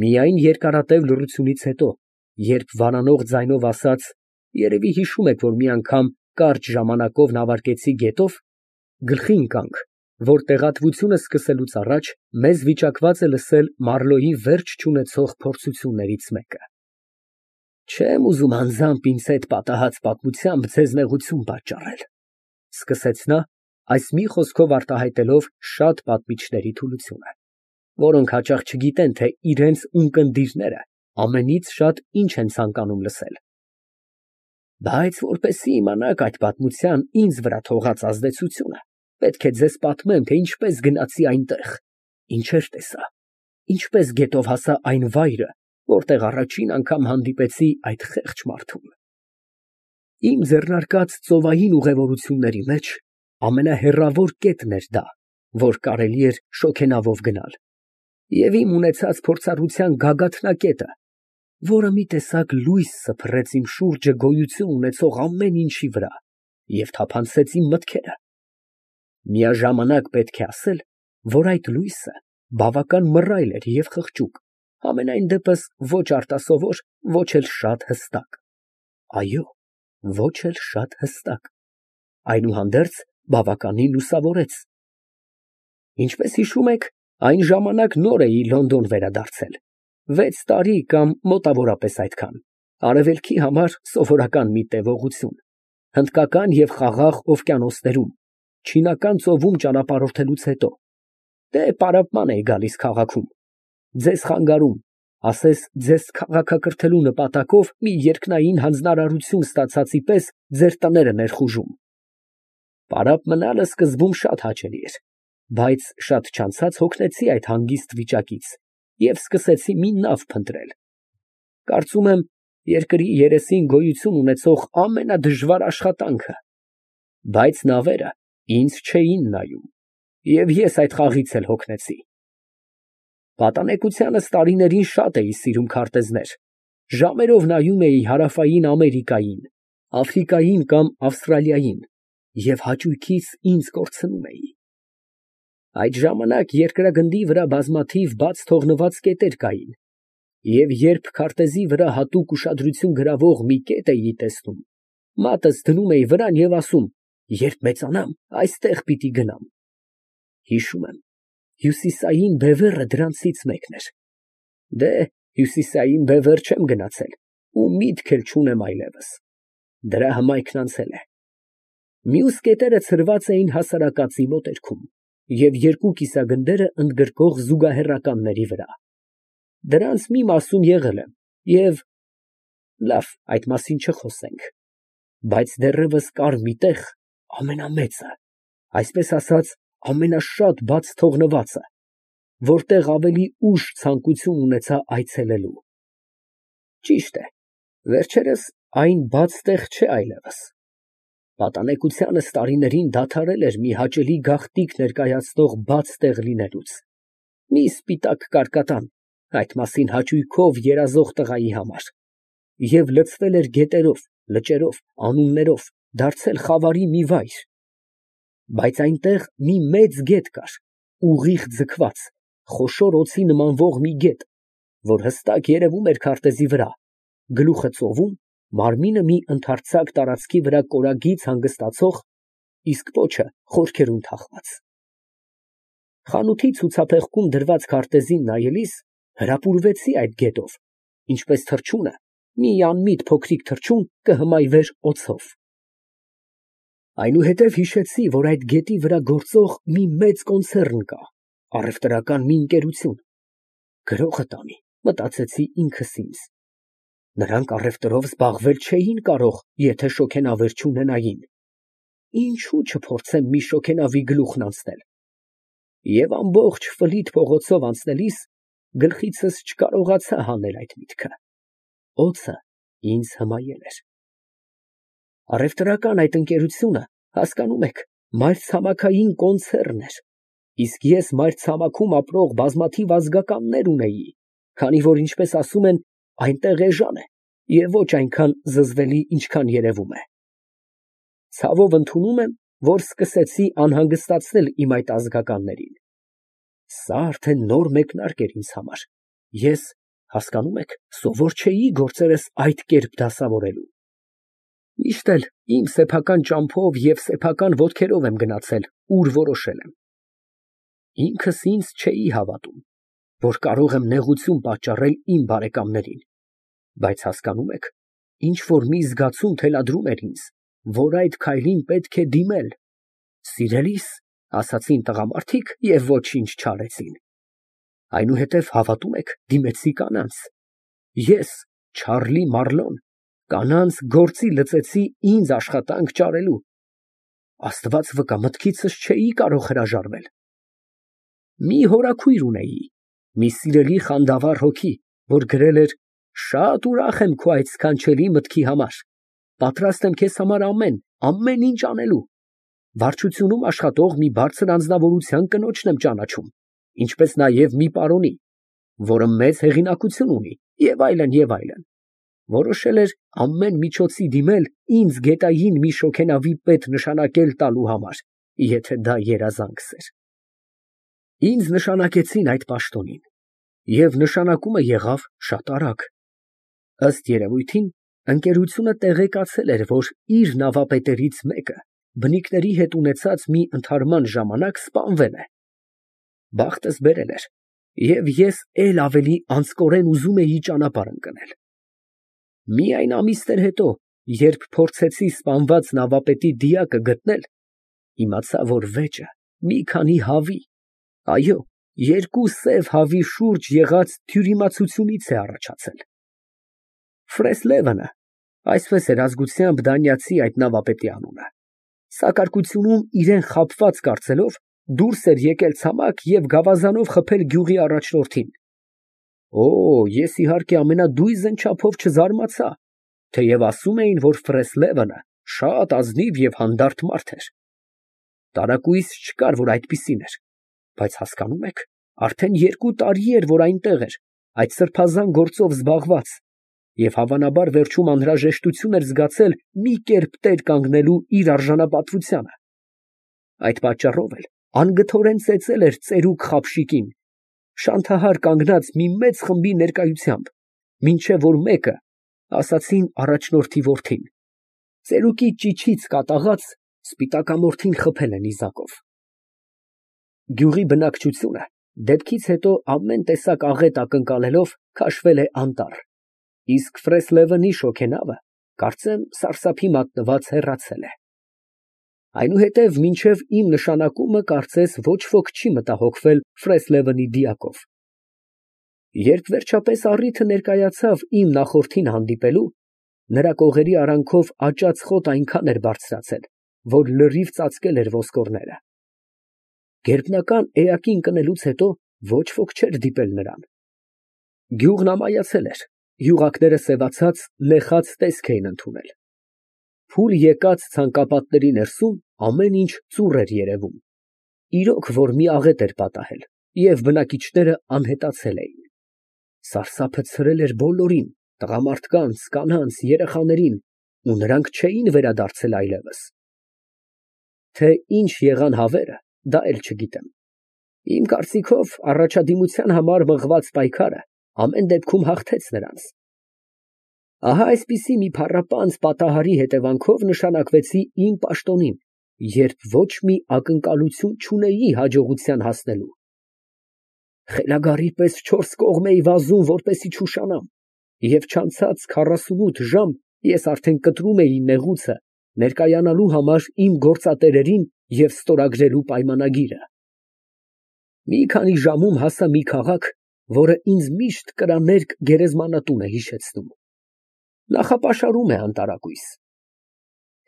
Միայն երկարատև լռությունից հետո, երբ վարանող ձայնով ասաց. «Երևի հիշում եք, որ մի անգամ կարճ ժամանակով նավարկեցի գետով», գլխի ընկանք, որ տեղատվությունը սկսելուց առաջ մեզ վիճակված է լսել Մարլոյի վերջ չունեցող փորձություններից մեկը։ «Չեմ ուզում անձամբ ինձ հետ պատահած պատմությամբ ձեզ նեղություն պատճառել», ֊ սկսեց նա, այս մի խոսքով արտահայտելով շատ պատմիչների թուլությունը, որոնք հաճախ չգիտեն, թե իրենց ունկնդիրները ամենից շատ ինչ են ցանկանում լսել։ «Բայց որպեսզի իմանաք այդ պատմության ինձ վրա թողած ազդեցությունը, պետք է ձեզ պատմեմ, թե ինչպես գնացի այնտեղ, ինչեր տեսա, ինչպես գետով հասա այն վայրը, որտեղ առաջին անգամ հանդիպեցի այդ խեղճ մարդուն։ Իմ ձեռնարկած ծովային ուղևորությունների մեջ ամենահեռավոր կետն էր դա, որ կարելի էր շոգենավով գնալ, և իմ ունեցած փորձառության գագաթնակետը, որը մի տեսակ լույս սփռեց իմ շուրջը գոյություն ունեցող ամեն ինչի վրա և թափանցեց իմ մտքերը։ Միաժամանակ պետք է ասել, որ այդ լույսը բավական մռայլ էր և խղճուկ, համենայն դեպս ոչ արտասովոր, ոչ էլ շատ հստակ։ Այո, ոչ էլ շատ հստակ, այնուհանդերձ բավականին լուսավորեց։ Ինչպես հիշում եք, այն ժամանակ նոր էի Լոնդոն վերադարձել, 6 տարի կամ մոտավորապես այդքան, արևելքի համար սովորական մի տևողություն, հնդկական և Խաղաղ օվկիանոսներում, Չինական ծովում ճանապարհորդելուց հետո, դե պարապման էի գալիս քաղաքում, ձեզ խանգարում, ասես ձեզ քաղաքակրթելու նպատակով մի երկնային հանձնարարություն ստացածի պես ձեր տները ներխուժում։ Պարապ մնալը սկզբում շատ հաճելի էր, բայց շատ չանցած հոգնեցի այդ հանգիստ վիճակից և սկսեցի մի նավ փնտրել։ Կարծում եմ, երկրի երեսին գոյություն ունեցող ամենադժվար աշխատանքը, բայց նավերը ինձ չէին նայում, և ես այդ խաղից էլ հոգնեցի։ Պատանեկությանս տարիներին շատ էի սիրում քարտեզներ, ժամերով նայում էի Հարավային Ամերիկային, Աֆրիկային կամ Ավստրալիային և հաճույքից ինձ կորցնում էի։ Այդ ժամանակ երկրագնդի վրա բազմաթիվ բաց թողնված կետեր կային, և երբ քարտեզի վրա հատուկ ուշադրություն գրավող մի կետ էի տեսնում, մատս դնում էի վրան և ասում. «Երբ մեծանամ, այստեղ պիտի գնամ»։ Հիշում եմ, Հյուսիսային բևեռը դրանցից մեկն էր։ Դե, Հյուսիսային բևեռ չեմ գնացել ու միտք էլ չունեմ այլևս, դրա հմայքն անցել է։ Մյուս կետերը ցրված էին հասարակածի մոտերքում և երկու կիսագնդերը ընդգրկող զուգահեռականների վրա։ Դրանց մի մասում եղել եմ և… լավ, այդ մասին չխոսենք։ Բայց դեռևս կար մի տեղ, ամենամեծը, այսպես ասած, ամենաշատ բաց թողնվածը, որտեղ ավելի ուշ ցանկություն ունեցա այցելելու։ Ճիշտ է, վերջերս այն բաց տեղ չէ այլևս։ Պատանեկությանս տարիներին դադարել էր մի հաճելի գաղտնիք ներկայացնող բաց տեղ լինելուց, մի սպիտակ կարկատան, այդ մասին հաճույքով երազող տղայի համար, և լցվել էր գետերով, լճերով, անուններով, դարձել խավարի մի վայր։ Բայց այնտեղ մի մեծ գետ կար, ուղիղ ձգված, խոշոր օձի նմանվող մի գետ, որ հստակ երևում էր քարտեզի վրա, գլուխը ծովում, մարմինը մի ընդարձակ տարածքի վրա կորագիծ հանգստացող, իսկ պոչը խորքերում թաղված։ Խանութի ցուցափեղկում դրված քարտեզին նայելիս հրապուրվեցի այդ գետով, ինչպես թռչունը մի անմիտ փոքրիկ թռչուն կհմայվեր օձով։ Այնուհետև հիշեցի, որ այդ գետի վրա գործող մի մեծ կոնցեռն կա, առևտրական մի ընկերություն։ Գրողը տանի, մտածեցի ինքս ինձ։ Նրանք առևտրով զբաղվել չէին կարող, եթե շոգենավեր չունենային։ Ինչո՞ւ չփորձեմ մի շոգենավի գլուխն անցնել։ Եվ ամբողջ Ֆլիթ փողոցով անցնելիս գլխիցս չկարողացա հանել այդ միտքը։ Օձը ինձ հմայել էր։ Առևտրական այդ ընկերությունը, հասկանում եք, մայրցամաքային կոնցեռն էր, իսկ ես մայրցամաքում ապրող բազմաթիվ ազգականներ ունեի, քանի որ, ինչպես ասում են, այնտեղ էժան է և ոչ այնքան զզվելի, ինչքան երևում է։ Ցավով ընդունում եմ, որ սկսեցի անհանգստացնել իմ այդ ազգականներին։ Սա արդեն նոր մեկնարկ էր ինձ համար։ Ես Հասկանում եք, սովոր չէի գործերս այդ կերպ դասավորելու։ Միշտ էլ իմ սեփական ճամփով և սեփական ոտքերով եմ գնացել, ուր որոշել եմ։ Ինքս ինձ չէի հավատում, որ կարող եմ նեղություն պատճառել իմ բարեկամներին, բայց հասկանում եք, ինչ որ մի զգացում թելադրում էր ինձ, որ այդ քայլին պետք է դիմել։ Սիրելի՞ս, ասացին տղամարդիկ և ոչինչ չարեցին։ Այնուհետև հավատում եք, դիմեցի կանանց։ Ես, Չարլի Մարլոն, կանանց գործի լծեցի ինձ աշխատանք ճարելու։ Աստված վկա, մտքիցս չէի կարող հրաժարվել։ Մի հորաքույր ունեի, մի սիրելի խանդավառ հոգի, որ գրել էր. «Շատ ուրախ եմ քո այդ սքանչելի մտքի համար, պատրաստ եմ քեզ համար ամեն ինչ անելու։ Վարչությունում աշխատող մի բարձր անձնավորության կնոջն եմ ճանաչում, ինչպես նաև մի պարոնի, որը մեծ հեղինակություն ունի, և այլն, և այլն։ Որոշել էր ամեն միջոցի դիմել ինձ գետային մի շոգենավի պետ նշանակել տալու համար, եթե դա երազանքս էր։ Ինձ նշանակեցին այդ պաշտոնին, և նշանակումը եղավ շատ արագ։ Ըստ երևույթին, ընկերությունը տեղեկացել էր, որ իր նավապետերից մեկը բնիկների հետ ունեցած մի ընդհարման ժամանակ սպանվել է։ Բախտս բերել էր, և ես էլ ավելի անձկորեն ուզում էի ճանապարհ ընկնել։ Միայն ամիսներ հետո, երբ փորձեցի սպանված նավապետի դիակը գտնել, իմացա, որ վեճը մի քանի հավի, այո, երկու սև հավի շուրջ եղած թյուրիմացությունից է առաջացել։ Ֆրեսլևենը, այսպես էր ազգությամբ դանիացի այդ նավապետի անունը, սակարկությունում իրան խաբված կարծելով, դուրս էր եկել ցամաք և գավազանով խփել գյուղի առաջնորդին։ Օ, ես իհարկե ամենադույզն չափով չզարմացա, թեև ասում էին, որ Ֆրեսլևենը շատ ազնիվ և հանդարտ մարդ էր։ Տարակույս չկար, որ այդպիսին էր, բայց հասկանում եք, արդեն 2 տարի էր, որ այնտեղ էր, այդ սրբազան գործով զբաղված, և հավանաբար վերջում անհրաժեշտություն էր զգացել մի կերպ տեր կանգնելու իր արժանապատվությանը։ Այդ պատճառով էլ անգթորեն ծեծել էր ծերուկ Խաբշիկին, շանթահար կանգնած մի մեծ խմբի ներկայությամբ, մինչև որ մեկը, ասացին առաջնորդի որդին, ծերուկի ճիչից կատաղած, սպիտակամորթին խփել է նիզակով։ Գյուղի բնակչությունը դեպքից հետո ամեն տեսակ աղետ ակնկալելով քաշվել է անտառ, իսկ Ֆրեսլևենի շոգենավը, կարծեմ, սարսափի մատնված հեռացել է։ Այնուհետև մինչև իմ նշանակումը կարծես ոչ ոք չի մտահոգվել Ֆրեսլևենի դիակով։ Երբ վերջապես առիթը ներկայացավ իմ նախորդին հանդիպելու, նրա կողերի արանքով աճած խոտ այնքան էր բարձրացել, որ լրիվ ծածկել էր ոսկորները։ Գերբնական էակին կնելուց հետո ոչ ոք չէր դիտել նրան։ Գյուղն ամայացել էր, յուղակները սևացած, նեխած տեսք էին ընդունել։ Փուլ եկած ցանկապատների ներսում ամեն ինչ ծուռ էր երևում, իրոք որ մի աղետ էր պատահել, և բնակիչները անհետացել էին։ Սարսափը ցրել էր բոլորին, տղամարդկանց, կանանց, երեխաներին, ու նրանք չէին վերադարձել այլևս։ Թե ինչ եղան հավերը, դա էլ չգիտեմ։ Իմ կարծիքով, առաջադիմության համար մղված պայքարը ամեն դեպքում հաղթեց նրանց։ Ահա այսպիսի մի փառապանծ պատահարի հետևանքով նշանակվեցի իմ պաշտոնին, երբ ոչ մի ակնկալություն չունեի հաջողության հասնելու։ Խելագարի պես 4 կողմ էի վազում, որպեսզի չուշանամ, և չանցած 48 ժամ ես արդեն կտրում էի նեղուցը ներկայանալու համար իմ գործատերերին և ստորագրելու պայմանագիրը։ Մի քանի ժամում հասա մի քաղաք, որը ինձ միշտ կրաներկ գերեզմանատուն է հիշեցնում։ Նախապաշարում է անտարակույս։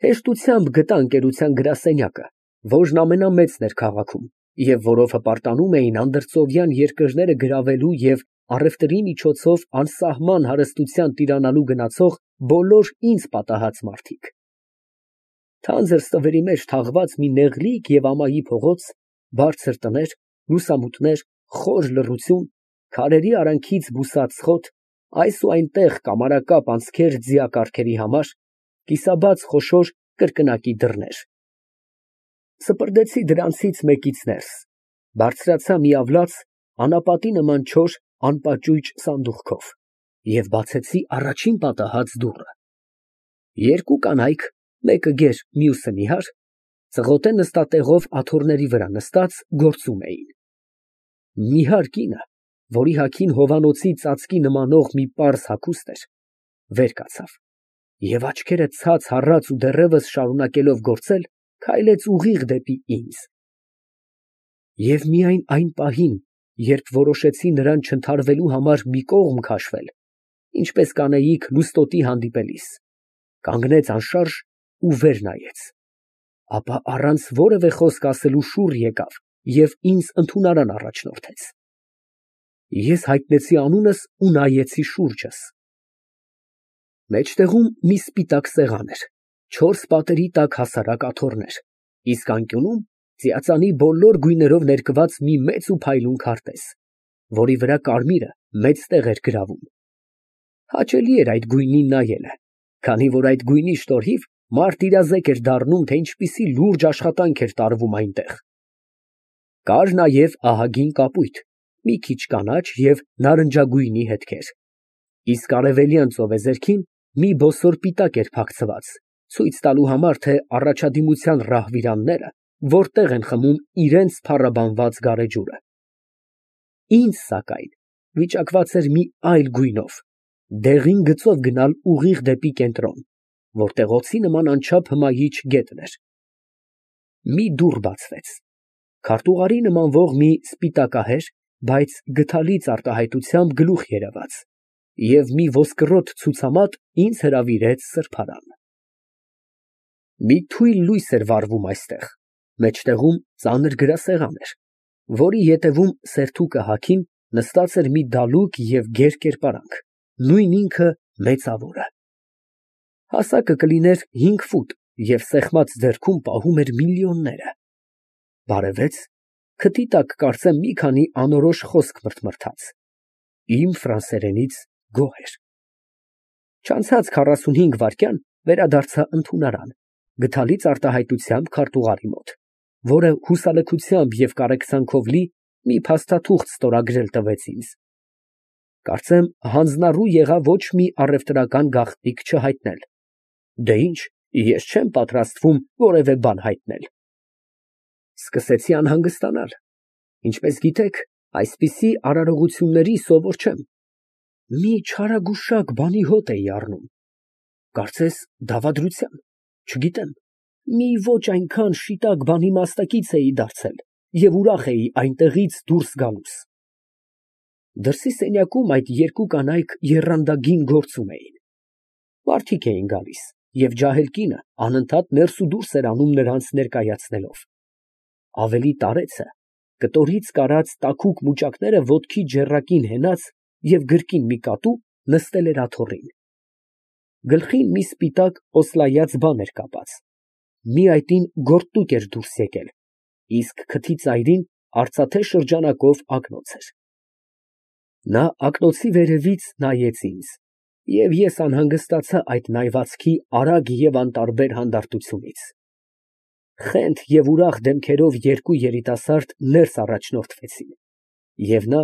Հեշտությամբ գտա ընկերության գրասենյակը, որն ամենամեծն էր քաղաքում, և որով հպարտանում էին անդրծովյան երկրները գրավելու և առևտրի միջոցով անսահման հարստության տիրանալու գնացող բոլոր ինձ պատահած մարդիկ։ Թանձր ստվերի մեջ թաղված մի նեղլիկ և ամայի փողոց, բարձր տներ, լուսամուտներ, խոր լռություն, քարերի արանքից բուսած խոտ, այս ու այնտեղ կամարակապ անցքեր ձիակառքերի համար, կիսաբաց խոշոր կրկնակի դռներ։ Սպրդեցի դրանցից մեկից ներս, բարձրացա մի ավլաց, անապատի նման չոր, անպաճույճ սանդուղքով և բացեցի առաջին պատահած դուռը։ Երկու կանայք, մեկը գեր, մյուսը նիհար, ծղոտե նստատեղով աթոռների վրա նստած գործում էին։ Նիհար կինը, որի հագին հովանոցի ծածկի նմանող մի պարզ հագուստ էր, վեր կացավ և աչքերը ցած հառած ու դեռևս շարունակելով գործել, քայլեց ուղիղ դեպի ինձ։ Եվ միայն այն պահին, երբ որոշեցի նրան չընդհարվելու համար մի կողմ քաշվել, ինչպես կանեիք լուստոտի հանդիպելիս, կանգնեց անշարժ ու վեր նայեց, ապա առանց որևէ խոսք ասելու շուռ եկավ և ինձ ընդունարան առաջնորդեց։ Ես հայտնեցի անունս ու նայեցի շուրջս։ Մեջտեղում մի սպիտակ սեղան էր, 4 պատերի տակ հասարակ աթոռներ, իսկ անկյունում ծիածանի բոլոր գույներով ներկված մի մեծ ու փայլուն քարտեզ, որի վրա կարմիրը մեծ տեղ էր գրավում։ Հաճելի էր այդ գույնին նայելը, քանի որ այդ գույնի շնորհիվ մարդ իրազեկ էր դառնում, թե ինչպիսի լուրջ աշխատանք էր տարվում այնտեղ։ Կար նաև ահագին կապույտ, մի քիչ կանաչ և նարնջագույնի հետքեր, իսկ արևելյան ծովեզերքին մի բոսոր պիտակ էր փակցված, ցույց տալու համար, թե առաջադիմության ռահվիրանները որտեղ են խմում իրենց փառաբանված գարեջուրը։ Ինձ, սակայն, վիճակված էր մի այլ գույնով, դեղին գծով գնալ ուղիղ դեպի կենտրոն, որտեղ օձի նման անչափ հմայիչ գետն էր։ Մի դուռ բացվեց, քարտուղարի նմանվող մի սպիտակահեր, բայց գդալից արտահայտությամբ գլուխ երևաց, և մի ոսկրոտ ցուցամատ ինձ հրավիրեց սրբարան։ Մի թույլ լույս էր վառվում այստեղ, մեջտեղում ծանր գրասեղան էր, որի ետևում սերթուկը հագին նստած էր մի դալուկ և գեր կերպարանք, նույն ինքը մեծավորը։ Հասակը կլիներ 5 ֆուտ և սեղմած ձեռքում պահում էր միլիոնները։ Բարևեց, քթի տակ կարծեմ մի քանի անորոշ խոսք մրթմրթաց, իմ ֆրանսերենից գոհ էր։ Չանցած 45 վայրկյան վերադարձա ընդունարան, գդալից արտահայտությամբ քարտուղարի մոտ, որը հուսալքությամբ և կարեկցանքով լի մի փաստաթուղթ ստորագրել տվեց ինձ։ Կարծեմ հանձնառու եղա ոչ մի առևտրական գաղտնիք չհայտնել։ Դե ինչ, ես չեմ պատրաստվում որևէ բան հայտնել։ Սկսեցի անհանգստանալ, ինչպես գիտեք, այսպիսի արարողությունների սովոր չեմ։ Մի չարագուշակ բանի հոտ էի առնում, կարծես դավադրության, չգիտեմ, մի ոչ այնքան շիտակ բանի մասնակից էի դարձել և ուրախ էի այնտեղից դուրս գալուս։ Դրսի սենյակում այդ երկու կանայք եռանդագին գործում էին։ Մարդիկ էին գալիս, և ջահել կինը անընդհատ ներս ու դուրս էր անում նրանց ներկայացնելով։ Ավելի տարեցը կտորից կարած տաքուկ մուճակները ոտքի ջեռակին հենած և գրկին մի կատու նստել էր աթոռին։ Գլխին մի սպիտակ օսլայած բան էր կապած, մի այտին գորտտուք էր դուրս եկել, իսկ քթի ծայրին արծաթե շրջանակով ակնոց էր։ Նա ակնոցի վերևից նայեց ինձ, և ես անհանգստացա այդ նայվածքի արագ և անտարբեր հանդարտությունից։ Խենթ և ուրախ դեմքերով երկու երիտասարդ ներս առաջնորդվեցին, և նա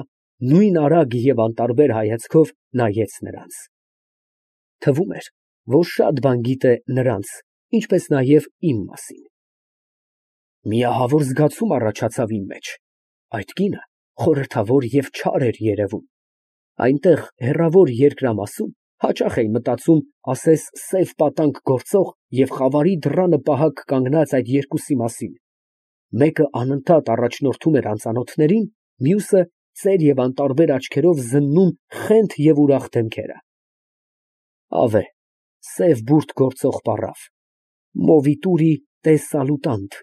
նույն արագ և անտարբեր հայացքով նայեց նրանց։ Թվում էր, որ շատ բան գիտե նրանց, ինչպես նաև իմ մասին։ Մի ահավոր զգացում առաջացավ իմ մեջ. այդ կինը խորհրդավոր և չար էր երևում։ Այնտեղ հեռավոր երկրամասում հաճախ էի մտածում, ասես սև պատանկ գործող և խավարի դռանը պահակ կանգնած այդ երկուսի մասին. մեկը անընդհատ առաջնորդում էր անծանոթներին, մյուսը ծեր և անտարբեր աչքերով զննում խենթ և ուրախ դեմքերը։ Ավե, սև բուրդ գործող պառավ, մովիտուրի տե սալուտանտ,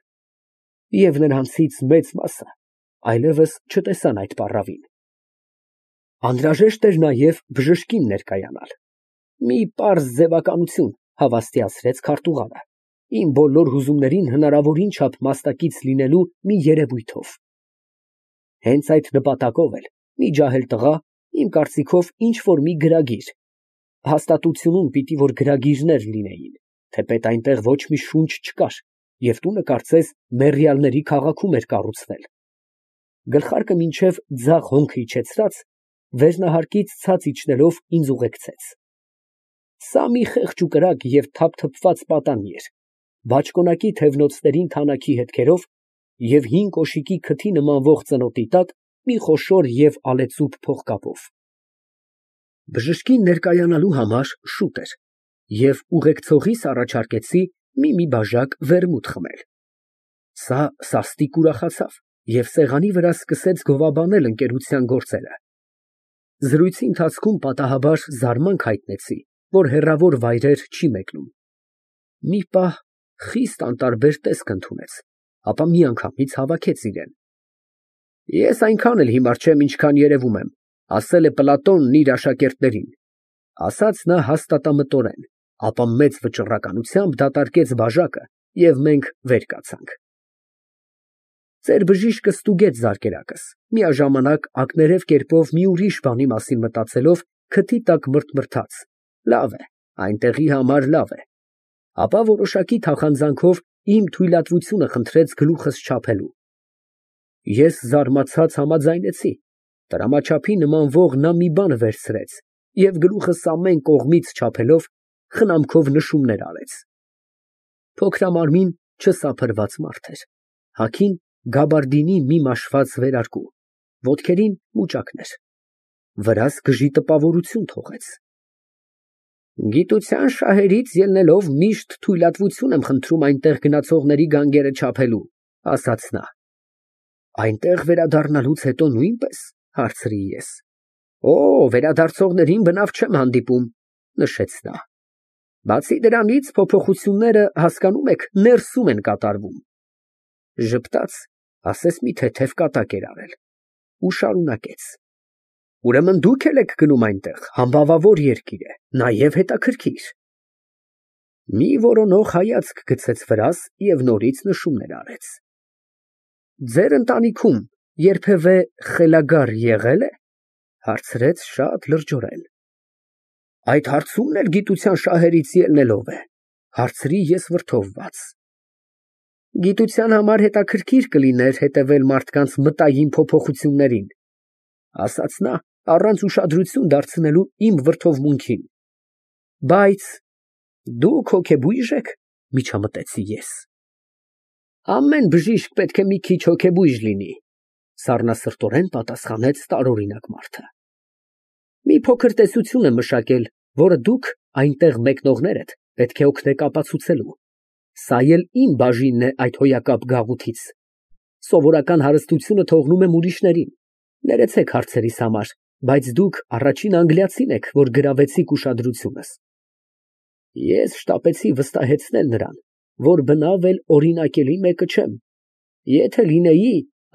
և նրանցից մեծ մասը այլևս չտեսան այդ պառավին։ Անհրաժեշտ էր նաև բժշկին ներկայանալ։ Մի պարզ ձևականություն, հավաստիացրեց քարտուղարը, իմ բոլոր հուզումներին հնարավորին չափ մասնակից լինելու մի երևույթով։ Հենց այդ նպատակով էլ մի ջահել տղա, իմ կարծիքով, ինչ֊որ մի գրագիր, հաստատությունում պիտի որ գրագիրներ լինեին, թեպետ այնտեղ ոչ մի շունչ չկար, և տունը կարծես մեռյալների քաղաքում էր կառուցվել, գլխարկը մինչև ձախ հոնքը իջեցրած, Վերնահարկից ցած իջնելով ինձ ուղեկցեց։ Սա մի խեղճ ու կրակ և թափթփված պատանի էր, բաճկոնակի թևնոցներին թանաքի հետքերով և հին կոշիկի քթի նմանվող ծնոտի տակ մի խոշոր և ալեծուփ փողկապով։ Բժշկին ներկայանալու համար շուտ էր, և ուղեկցողիս առաջարկեցի մի բաժակ վերմուտ խմել։ Սա սաստիկ ուրախացավ և սեղանի վրա սկսեց գովաբանել ընկերության գործերը։ Զրույցի ընթացքում պատահաբար զարմանք հայտնեցի, որ հեռավոր վայրեր չի մեկնում։ Մի պահ խիստ անտարբեր տեսք ընդունեց, ապա միանգամից հավաքեց իրեն։ Ես այնքան էլ հիմար չեմ, ինչքան երևում եմ, ասել է Պլատոնն իր աշակերտներին, ասաց նա հաստատամտորեն, ապա մեծ վճռականությամբ դատարկեց բաժակը, և մենք վեր կացանք։ Ձեր բժիշկը ստուգեց զարկերակս, միաժամանակ ակներև կերպով մի ուրիշ բանի մասին մտածելով, քթի տակ մռթմռթաց. լավ է, այնտեղի համար լավ է։ Ապա որոշակի թախանձանքով իմ թույլատվությունը խնդրեց գլուխս չափելու։ Ես զարմացած համաձայնեցի, տրամաչափի նմանվող նա մի բան վերցրեց և գլուխս ամեն կողմից չափելով, խնամքով նշումներ արեց։ Փոքրամարմին, չսափրված մարդ էր, հագին գաբարդինի մի մաշված վերարկու, ոտքերին մուճակներ, վրաս գժի տպավորություն թողեց։ Գիտության շահերից ելնելով միշտ թույլատվություն եմ խնդրում այնտեղ գնացողների գանգերը չափելու, ասաց նա։ Այնտեղ վերադառնալուց հետո նույնպե՞ս, հարցրի ես։ Օ, վերադարձողներին բնավ չեմ հանդիպում, նշեց նա։ Բացի դրանից փոփոխությունները, հասկանում եք, ներսում են կատարվում։ Ժպտաց, ասես մի թեթև կատակ էր արել ու շարունակեց. Ուրեմն դուք էլ եք գնում այնտեղ, համբավավոր երկիր է, նաև հետաքրքիր։ Մի որոնող հայացք գցեց վրաս և նորից նշումներ արեց։ Ձեր ընտանիքում երբևէ խելագար եղե՞լ է, հարցրեց շատ լրջորեն։ Այդ հարցումն էլ գիտության շահերից ելնելով է, հարցրի ես վրդովված։ Գիտության համար հետաքրքիր կլիներ հետևել մարդկանց մտային փոփոխություններին, ասաց նա, առանց ուշադրություն դարձնելու իմ վրդովմունքին։ Բայց դուք հոգեբույժ եք, միջամտեցի ես։ Ամեն բժիշկ պետք է մի քիչ հոգեբույժ լինի, սառնասրտորեն պատասխանեց տարօրինակ մարդը։ Մի փոքր տեսություն եմ մշակել, որը դուք, այնտեղ մեկնողներդ, պետք է օգնեք ապացուցելու։ Սա էլ իմ բաժինն է այդ հոյակապ գաղութից։ Սովորական հարստությունը թողնում եմ ուրիշներին։ Ներեցեք հարցերիս համար, բայց դուք առաջին անգլիացին եք, որ գրավեցիք ուշադրությունս։ Ես շտապեցի վստահեցնել նրան, որ բնավ էլ օրինակելի մեկը չեմ։ Եթե լինեի,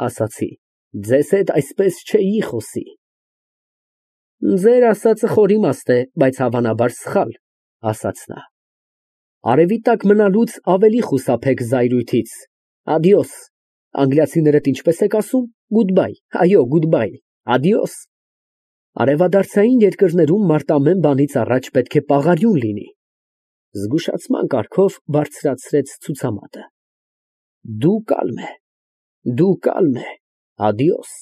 ասացի, ձեզ հետ այսպես չէի խոսի։ Ձեր ասածը խորիմաստ է, բայց հավանաբար սխալ, ասաց նա։ Արևի տակ մնալուց ավելի խուսափեք զայրույթից։ Ադիոս։ Անգլիացիներդ ինչպես եք ասում, goodbye, այո, goodbye, adios։ Արևադարձային երկրներում մարդ ամեն բանից առաջ պետք է պաղարյուն լինի։ Զգուշացման կարգով բարձրացրեց ցուցամատը։ Դու կալմ է, adios։